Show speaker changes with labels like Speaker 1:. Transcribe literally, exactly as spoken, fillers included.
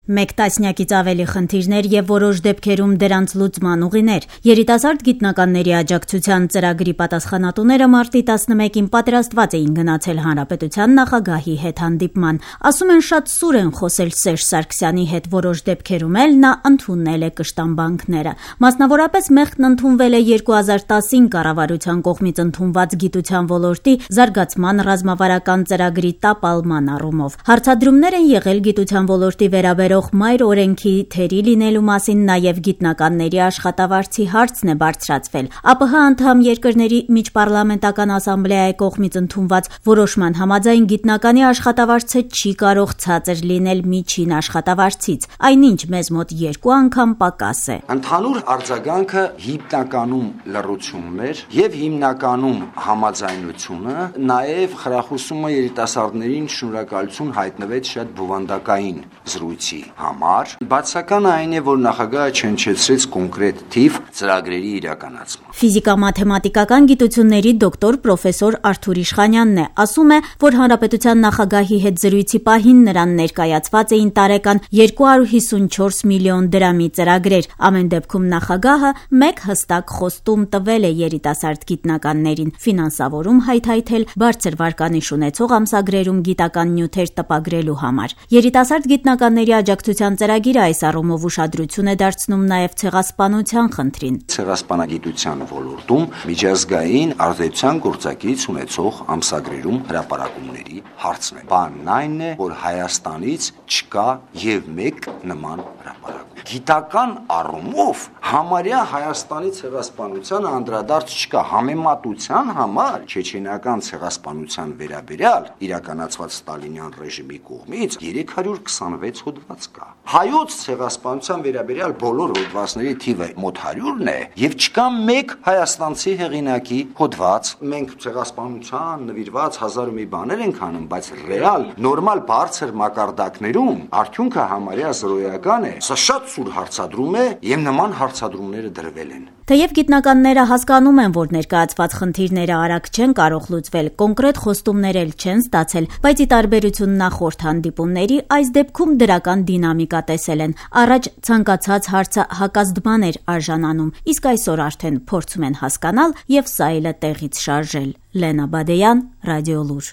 Speaker 1: Մեկ տասնյակից ավելի խնդիրներ եւ որոշ դեպքերում դրանց լուծման ուղիներ։ Երիտասարդ գիտնականների աջակցության ծրագրի պատասխանատուները մարտի տասնմեկին պատրաստված էին գնացել Հանրապետության նախագահի հետ հանդիպման։ Ասում են, շատ սուր են խոսել Սերժ Սարգսյանի հետ, որոշ դեպքերում էլ նա ընդունել է կշտամբանքները։ Մասնավորապես մեղքն ընդունվել է երկու հազար տասին կառավարության կողմից ընդունված գիտության ոլորտի զարգացման ռազմավարական ծրագրի տապալման առումով։ Հարցադրումներ են եղել գիտության ոլորտի վերաբերող մայր օրենքի թերի լինելու մասին, նաև գիտնականների աշխատավարձի հարցն է բարձրացվել։ ԱՊՀ անդամ երկրների միջպառլամենտական ասամբլեայի կողմից ընդունված որոշման համաձայն գիտնականի աշխատավարձը չի կարող ցածր լինել միջին աշխատավարձից, այնինչ մեզ մոտ երկու անգամ պակաս է։
Speaker 2: Ընդհանուր արձագանքը հիմնականում լռությունն էր եւ հիմնականում համաձայնությունը, նաև խրախուսումը երիտասարդներին շնորհակալություն հայտնվեց շատ բովանդակային զրույցի համար։ Բացականը այն է, որ նախագահը չհնչեցրեց կոնկրետ թիվ ծրագրերի իրականացման։
Speaker 1: Ֆիզիկա-մաթեմատիկական գիտությունների դոկտոր պրոֆեսոր Արթուր Իշխանյանն է, ասում է, որ հանրապետության նախագահի հետ զրույցի պահին նրան ներկայացված էին տարեկան երկու հարյուր հիսունչորս միլիոն դրամի ծրագրեր։ Ամեն դեպքում նախագահը մեկ հստակ խոստում տվել է երիտասարդ գիտնականներին՝ ֆինանսավորում հայթայթել բարձր վարկանիշ ունեցող ամսագրերում գիտական նյութեր տպագրելու համար։ Երիտասարդ գիտնականների աջակցության ծրագիրը այս առումով ուշադրություն է դարձնում նաև ցեղասպանության խնդրին։
Speaker 2: Ցեղասպանագիտության ոլորտում միջազգային ազդեցության գործակից ունեցող ամսագրերում հրապարակումների հարցն է։ Բանն այն է, որ Հայաստանից չկա եւ մեկ նման հրապարակում։ Գիտական առումով համարյա Հայաստանի ցեղասպանությանը անդրադարձ չկա։ Համեմատության համար չեչենական ցեղասպանության վերաբերյալ իրականացված ստալինյան ռեժիմի կողմից երեք հարյուր քսանվեց հոդված կա։ Հայոց ցեղասպանության վերաբերյալ բոլոր հոդվածների թիվը մոտ հարյուրն է եւ չկա մեկ հայաստանցի հեղինակի հոդված։ Մենք ցեղասպանության նվիրված հազար ու մի բաներ ենք անում, բայց ռեալ նորմալ բարձր մակարդակներում արդյունքը համարյա զրոյական է։ Սա շատ սուր հարցադրում է եւ նման հարցադրումները դրվել են։
Speaker 1: Թեև գիտնականները հասկանում են, որ ներկայացված խնդիրները արագ չեն կարող լուծվել, կոնկրետ խոստումներ էլ չեն ստացել, բայց ի տարբերություն նախորդ հանդիպումների, այս դեպքում դրական դինամիկա տեսել են։ Առաջ ցանկացած հարցը հակազդման էր արժանանում, իսկ այսօր արդեն փորձում են հասկանալ եւ սայլը տեղից շարժել։ Լենա Բադեյան, Ռադիոլուր։